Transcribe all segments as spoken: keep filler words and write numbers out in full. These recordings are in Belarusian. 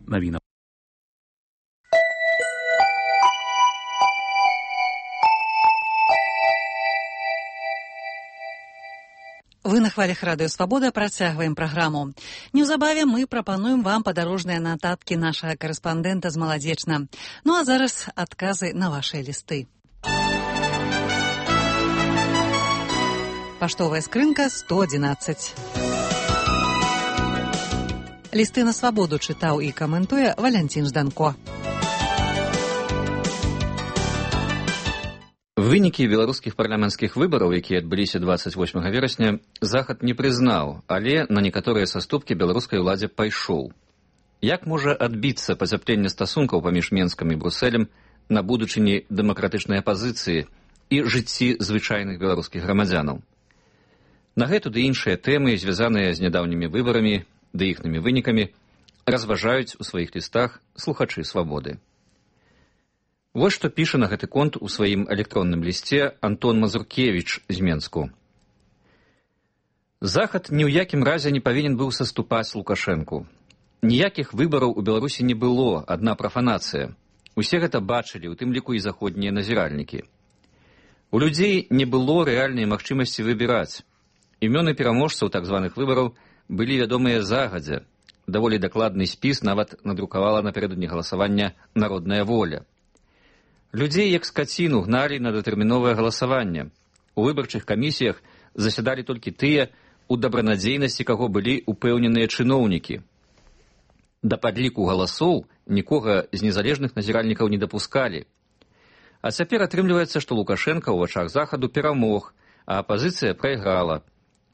навінаў. Вы на хвалях Радыё Свабода, працягваем праграму. Неўзабаве мы прапануем вам падарожныя нататкі нашага карэспандэнта з Маладзечна. Ну а зараз адказы на вашыя лісты. Паштовая скрынка сто адзінаццаць. Лісты на свабоду чытаў і каментуе Валянцін Жданко. Вынікі беларускіх парламенцкіх выбараў, якія адбыліся дваццаць восьмага верасня, Захад не прызнаў, але на некаторыя саступкі беларускай уладзе пайшоў. Як можа адбіцца пацяпленне стасункаў паміж Менскам і Брусэлем на будучыні дэмакратычнай апазіцыі і жыцці звычайных беларускіх грамадзянаў? На гэту ды іншыя тэмы, звязаныя з нядаўнімі выбарамі ды іхнымі вынікамі, разважаюць у сваіх лістах слухачы свабоды. Вось што піша на гэты конт у сваім электронным лісце Антон Мазуркевіч з Менску. Захад ні ў якім разе не павінен быў саступаць Лукашэнку. Ніякіх выбараў у Беларусі не было, адна прафанацыя. Усе гэта бачылі, у тым ліку і заходнія назіральнікі. У людзей не было рэальнай магчымасці выбіраць. Імёны пераможцаў так званых выбараў былі вядомыя загадзя. Даволі дакладны спіс нават надрукавала напярэдадні галасавання «Народная воля». Людзей, як скаціну, гналі на датэрміновае галасаванне. У выбарчых камісіях засядалі толькі тыя, у дабранадзейнасці каго былі упэўненыя чыноўнікі. Да падліку галасоў нікога з незалежных назіральнікаў не дапускалі. А цяпер атрымліваецца, што Лукашэнка ў вачах Захаду перамог, а апазіцыя прайграла.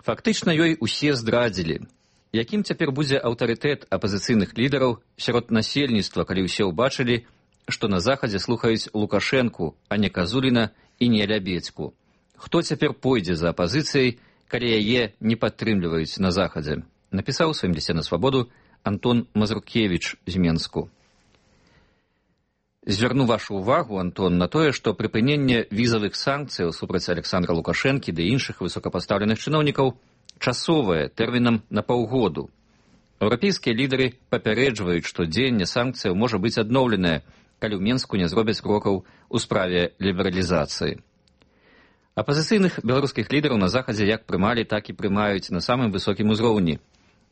Фактычна ёй усе здрадзілі. Якім цяпер будзе аўтарытэт апазіцыйных лідараў сярод насельніцтва, калі ўсе ўбачылі, што на Захадзе слухаюць Лукашэнку, а не Казуліна і не Лябедзьку. Хто цяпер пойдзе за апазіцыяй, калі яе не падтрымліваюць на Захадзе? Напісаў у сваім лісце на свабоду Антон Мазуркевіч з Менску. Звярну вашу ўвагу, Антон, на тое, што прыпыненне візавых санкцыяў супраць Александра Лукашэнкі ды іншых высокапастаўленых чыноўнікаў часовае, тэрмінам на паўгоду. Еўрапейскія лідары папярэджваюць, што дзеянне санкцыяў можа быць адноўленае, калі ў Менску не зробяць крокаў у справе лібералізацыі. Апазіцыйных беларускіх лідараў на Захадзе як прымалі, так і прымаюць на самым высокім узроўні.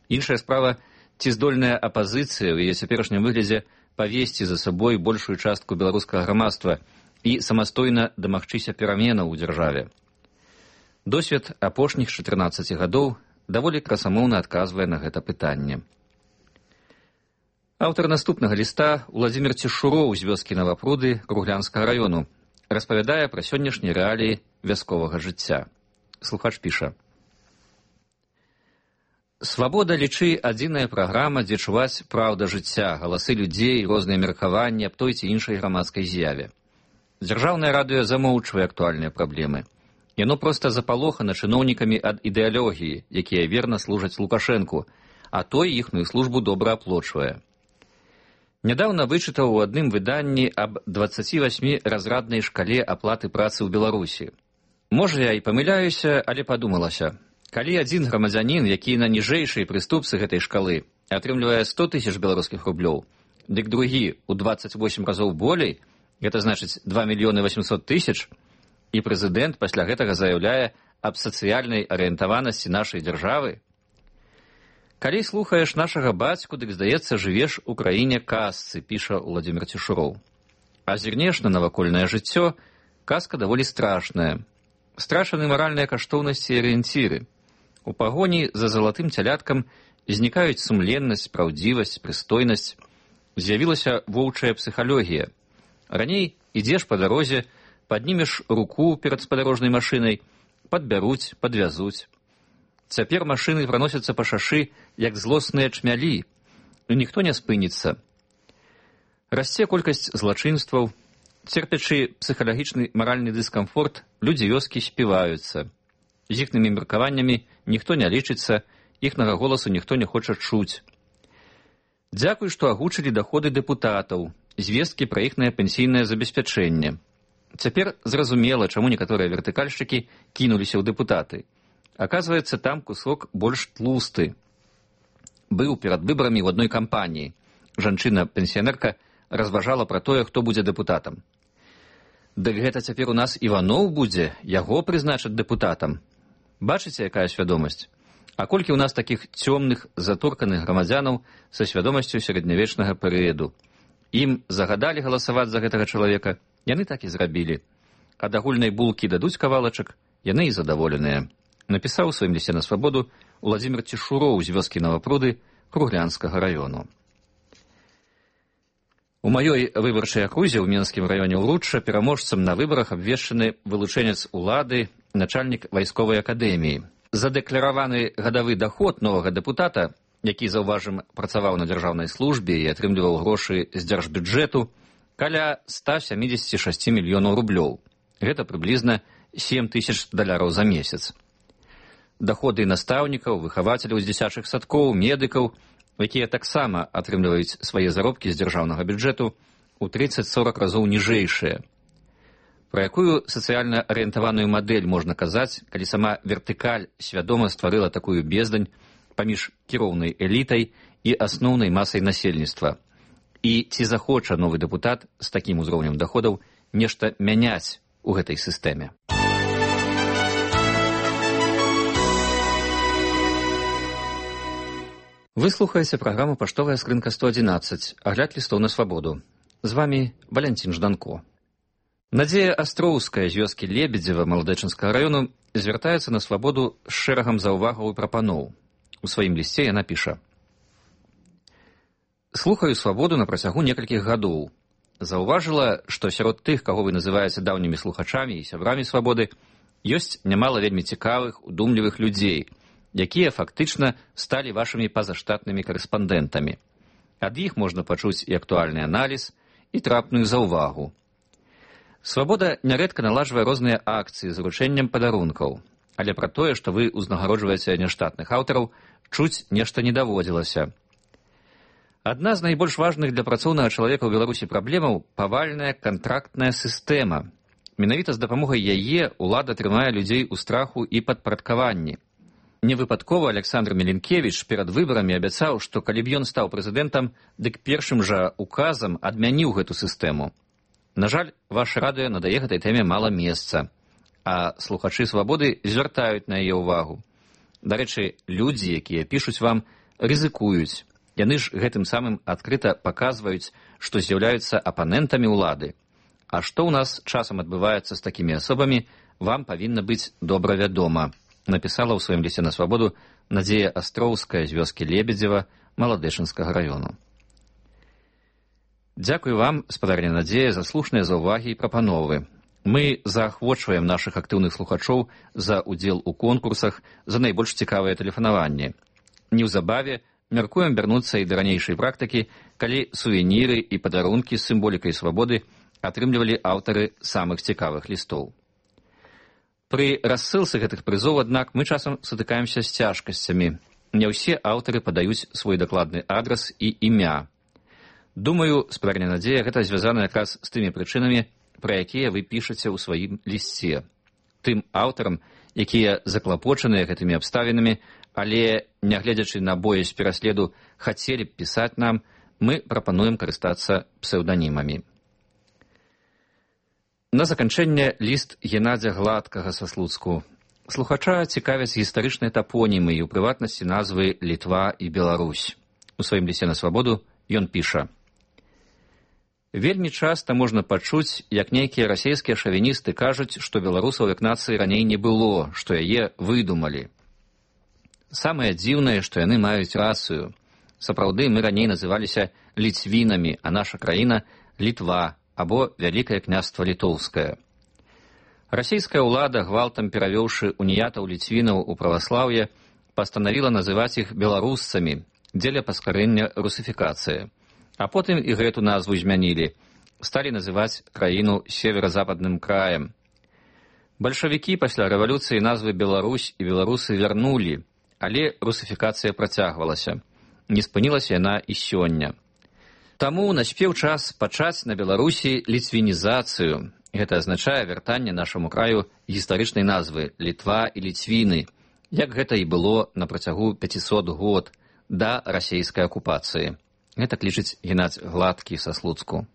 Іншая справа, ці здольная апазіцыя ў яе цяперашнім выглядзе павесці за сабой большую частку беларускага грамадства і самастойна дамагчыся пераменаў у дзяржаве. Досвед апошніх чатырнаццаці гадоў даволі красамоўна адказвае на гэта пытанне. Аўтар наступнага ліста Уладзімір Цішуроў з вёскі Навапруды Круглянскага раёну распавядае пра сённяшнія рэаліі вясковага жыцця. Слухач піша. Свабода, лічы, адзіная праграма, дзе чуваць праўда жыцця, галасы людзей, розныя меркаванні аб той ці іншай грамадскай з'яве. Дзяржаўнае радыё замоўчвае актуальныя праблемы. Яно проста запалохана чыноўнікамі ад ідэалогіі, якія верна служаць Лукашэнку, а той іхную службу добра аплочвае. Нядаўна вычытаў у адным выданні аб дваццаці васьмі разраднай шкале аплаты працы ў Беларусі. Можа, я і памыляюся, але падумалася. Калі адзін грамадзянін, які на ніжэйшай прыступцы гэтай шкалы, атрымлівае сто тысяч беларускіх рублёў, дык другі ў дваццаць восем разоў болей, гэта значыць два мільёны васьмсот тысяч, і прэзідэнт пасля гэтага заяўляе аб сацыяльнай арыентаванасці нашай дзяржавы. Калі слухаеш нашага бацьку, дык, здаецца, жывеш у краіне казцы, піша Уладзімір Цішуроў. А зірнеш на навакольнае жыццё, казка даволі страшная. Страшаны маральныя каштоўнасці і арыенціры. У пагоні за залатым цяляткам знікаюць сумленнасць, праўдзівасць, прыстойнасць. З'явілася воўчая псіхалогія. Раней ідзеш па дарозе, паднімеш руку перад спадарожнай машынай, падбяруць, падвязуць. Цяпер машыны праносяцца па шашы, як злосныя чмялі, і ніхто не спыніцца. Расце колькасць злачынстваў, церпячы псіхалагічны маральны дыскамфорт, людзі вёскі співаюцца. З іхнымі меркаваннямі ніхто не лічыцца, іхнага голасу ніхто не хоча чуць. Дзякуй, што агучылі даходы дэпутатаў, звесткі пра іхнае пенсійнае забеспячэнне. Цяпер зразумела, чаму некаторыя вертыкальшчыкі кінуліся ў дэпутаты. Аказваецца, там кусок больш тлусты. Быў перад выбарамі ў адной кампаніі. Жанчына-пенсіянерка разважала пра тое, хто будзе дэпутатам. Дык гэта цяпер у нас Іваноў будзе, яго прызначаць дэпутатам. Бачыце, якая свядомасць? А колькі ў нас такіх цёмных, затурканых грамадзянаў са свядомасцю сярэднявечнага перыяду? Ім загадалі галасаваць за гэтага чалавека, яны так і зрабілі. Ад агульнай булкі дадуць кавалачак, яны і задаволеныя. Напісаў у сваім лісце на свабоду Уладзімір Цішуроў з вёскі Новапруды Круглянскага раёну. У маёй выбарчай акрузе ў Менскім раёне Ўручча пераможцам на выбарах абвешчаны вылучэнец улады, начальнік вайсковай акадэміі. Задэклараваны гадавы даход новага дэпутата, які, заўважым, працаваў на дзяржаўнай службе і атрымліваў грошы з дзяржбюджэту, каля ста сямідзесят шэсць мільёнаў рублёў. Гэта прыблізна сем тысяч даляраў за месяц. Даходы настаўнікаў, выхавацеляў з дзіцячых садкоў, медыкаў, якія таксама атрымліваюць свае заробкі з дзяржаўнага бюджэту, у трыццаць сорак разоў ніжэйшыя. Пра якую сацыяльна арыентаваную мадэль можна казаць, калі сама вертыкаль свядома стварыла такую бездань паміж кіроўнай элітай і асноўнай масай насельніцтва? І ці захоча новы дэпутат з такім узроўнем даходаў нешта мяняць у гэтай сістэме? Вы слухаеце праграму «Паштовая скрынка сто адзінаццаць», агляд лістоў на свабоду. З вамі Валянцін Жданко. Надзея Астроўская з вёскі Лебедзева Маладэчынскага раёну звяртаецца на свабоду з шэрагам заўвагаў і прапаноў. У сваім лісце яна піша: «Слухаю свабоду на працягу некалькіх гадоў. Заўважыла, што сярод тых, каго вы называеце даўнімі слухачамі і сябрамі свабоды, ёсць нямала вельмі цікавых, удумлівых людзей, якія фактычна сталі вашымі пазаштатнымі карэспандэнтамі. Ад іх можна пачуць і актуальны аналіз, і трапную заўвагу. Свабода нярэдка налажвае розныя акцыі з уручэннем падарункаў, але пра тое, што вы ўзнагароджваеце няштатных аўтараў, чуць нешта не даводзілася. Адна з найбольш важных для працоўнага чалавека ў Беларусі праблемаў – павальная кантрактная сістэма. Менавіта з дапамогай яе ўлада трымае людзей у страху і падпарадкаванні. Невыпадкова Александр Меленкевич перад выбарамі абяцаў, што калі б ён стаў прэзідэнтам, дык першым жа указам адмяніў гэту сістэму. На жаль, ваше радыё надае гэтай тэме мала месца, а слухачы свабоды звяртаюць на яе ўвагу. Дарэчы, людзі, якія пішуць вам, рызыкуюць. Яны ж гэтым самым адкрыта паказваюць, што з'яўляюцца апанентамі ўлады. А што ў нас часам адбываецца з такімі асобамі, вам павінна быць добра вядома. Напісала ў сваім лісце на свабоду Надзея Астроўская з вёскі Лебедзева Маладэчынскага раёну. Дзякую вам, спадарня Надзея, за слушныя заўвагі і прапановы. Мы заахвочваем нашых актыўных слухачоў за удзел у конкурсах, за найбольш цікавыя тэлефанаванні. Неўзабаве мяркуем вярнуцца і да ранейшай практыкі, калі сувеніры і падарункі з сімволікай свабоды атрымлівалі аўтары самых цікавых лістоў. Пры рассылцы гэтых прызоў, аднак, мы часам сутыкаемся з цяжкасцямі. Не ўсе аўтары падаюць свой дакладны адрас і імя. Думаю, спадарня Надзея, гэта звязана якраз з тымі прычынамі, пра якія вы пішаце ў сваім лісце. Тым аўтарам, якія заклапочаныя гэтымі абставінамі, але, нягледзячы на боязь пераследу, хацелі б пісаць нам, мы прапануем карыстацца псеўданімамі. На заканчэнне ліст Геннадзя Гладкага са Слуцку. Слухача цікавяць гістарычныя тапонімы і, у прыватнасці, назвы Літва і Беларусь. У сваім лісце на свабоду ён піша: «Вельмі часта можна пачуць, як нейкія расейскія шавіністы кажуць, што беларусаў як нацыі раней не было, што яе выдумалі. Самае дзіўнае, што яны маюць рацыю. Сапраўды, мы раней называліся ліцвінамі, а наша краіна – Літва, або Вялікае княства Літоўскае. Расійская ўлада, гвалтам перавёўшы уніятаў ліцвінаў у праваслаўе, пастанавіла называць іх беларусцамі дзеля паскарэння русіфікацыі. А потым і гэту назву змянілі, сталі называць краіну северо-западным краем. Бальшавікі пасля рэвалюцыі назвы Беларусь і беларусы вярнулі, але русіфікацыя працягвалася. Не спынілася яна і сёння. Таму наспеў час пачаць на Беларусі ліцвінізацыю. Гэта азначае вяртанне нашаму краю гістарычнай назвы Літва і Ліцвіны, як гэта і было на працягу пяцісот год да расейскай акупацыі. Гэта лічыць Геннадзь Гладкі са Слуцку.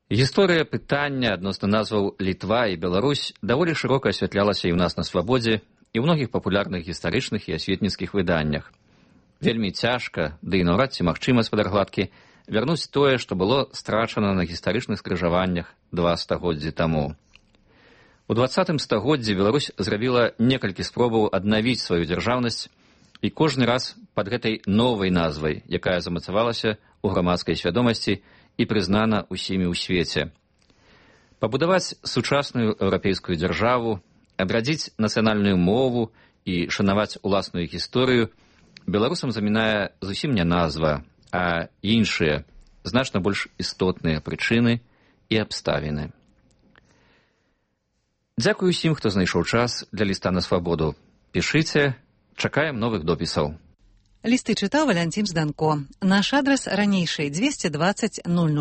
Гісторыя пытання адносна назваў Літва і Беларусь даволі шырока асвятлялася і ў нас на свабодзе, і ў многіх папулярных гістарычных і асветніцкіх выданнях. Вельмі цяжка, ды і наўрад ці магчыма, спадар Гладкі, вярнуць тое, што было страчана на гістарычных скрыжаваннях два стагоддзі таму. У дваццатым стагоддзі Беларусь зрабіла некалькі спробаў аднавіць сваю дзяржаўнасць, і кожны раз пад гэтай новай назвай, якая замацавалася ў грамадскай свядомасці і прызнана ўсімі ў свеце. Пабудаваць сучасную еўрапейскую дзяржаву, адрадзіць нацыянальную мову і шанаваць уласную гісторыю беларусам замінае зусім не назва, а іншыя, значна больш істотныя прычыны і абставіны. Дзякую усім, хто знайшоў час для ліста на свабоду. Пішыце, чакаем новых допісаў. Лісты чытаў Валянцін Зданко. Наш адрас ранейшы двести двадцать ноль ноль.